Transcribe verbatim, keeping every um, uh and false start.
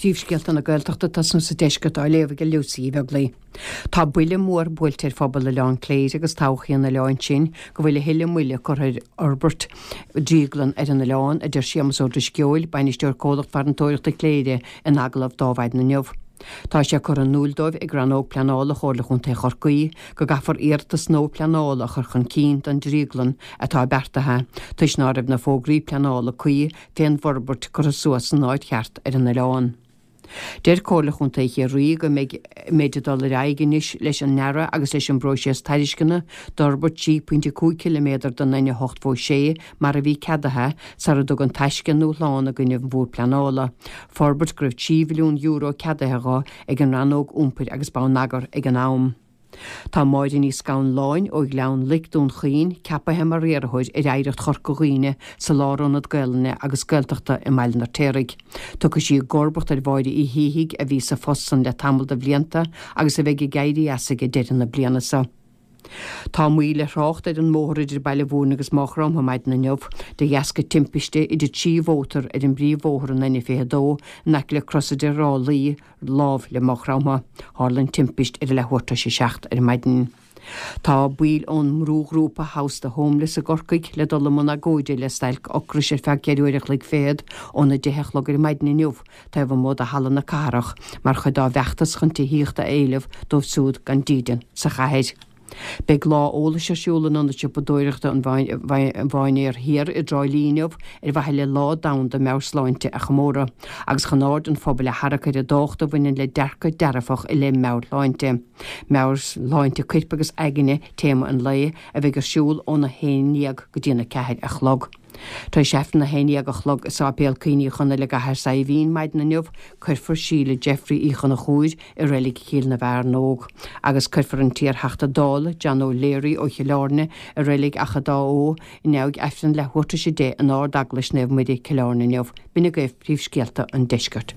Príomhscéalta na Gaeltachta tosnú sa deisceart á léamh ag Lucy Uí Bheaglaoi. Tá buille mór buailte ar phobal Oileán Cléire agus todhchaí an oileáin sin go bhfuil a thuilleadh moille curtha ar fhorbairt drioglann ar an oileán, a deir Séamus Ó Drisceoil, bainisteoir comhlacht farantóireachta Chléire in agallamh dó maidin inniu. Tá sé curtha in iúl dóibh ag rannóg pleanála Chomhairle Chontae Chorcaí go gcaithfear iarratas nua pleanála a chur chun cinn don drioglann atá beartaithe, toisc ná raibh na fógraí pleanála cuí fén bhforbairt curtha suas san áit cheart ar an oileán. Deir Comhairle Chontae Chiarraí go mbeidh mbeid ag dul ar aghaidh anois leis an ndearadh agus leis an bpróiseas tairisceana d'fhorbairt trí pointe cúig ciliméadar den N a hocht fó sé mar a bhí ceadaithe sara dtug An Taisce a ndúshlán i gcoinne an Bhord Pleanála, forbairt go raibh trí mhilliún euro ceadaithe dho ag an rannóg iompair agus bonneagair ag an am. Tá Máire Ní Scanláin ó Ghleann Loic Dún Chaoin ceapaithe mar riarthóir ar Oidhreacht Chorca Dhuibhne sa Lárionad Gaelainne agus Gaeltachta i mBaile an Fheirtéaraigh. Tiocfaidh sí i gcomharbacht ar Mháire Uí Shíthigh a bhí sa phost san le tamall de bhlianta agus a bheidh ag éirí as ag deireadh na bliana seo. Tá moill ar thrácht ar an mbóthar idir Baile Mhúirne agus Maigh Chromtha maidin inniu de dheasca timpiste idir trí mhótar ar an bpríomhbhóthar an N fiche dó in aice le Crosaire Ráth Luí lámh le Maigh Chromtha. Tharla an timpist ar a leathuair tar éis a seacht ar maidin. Tá baill ón mbrúghrúpa House the Homeless i gCorcaigh le dul i mbun agóide le stailc ocrais ar feadh ceithre uair a chloig fichead óna deich a chlog ar maidin inniu taobh amuigh de halla na cathrach mar chuid dá bhfeachtas chun tithíocht a éileamh dóibh siúd gan dídean sa chathair. Beidh lá eolais ar siúl in ionad siopadóireachta an Mhainéir Thiar i dTrá Lí inniu ar mhaithe le Lá Domhanda Meabhairshláinte a chomóradh agus chun aird an phobail a tharrac ar an dtábhacht a bhaineann le dearcadh dearfach i leith meabhairshláinte. Meabhairshláinte coirp agus aigne téama an lae a bheidh ar siúl óna haon déag go dtí na ceathair a chlog. Tar éis Aifreann a haon déag a chlog i Sáipéal Cuimhní Chonaill i gCathair Saidhbhín maidin inniu, cuirfear Síle Jeffrey Uí Chonchúir i reilig Chill na bhFear nÓg, agus cuirfear an t-iarTheachta Dála John O'Leary ó Chill Airne i reilig Achadh Dá Eo i ndiaidh Aifreann leathuair tar éis a deich in Ard-Eaglais Naomh Muire, Cill Airne inniu. B'in agaibh príomhscéalta an deiscirt.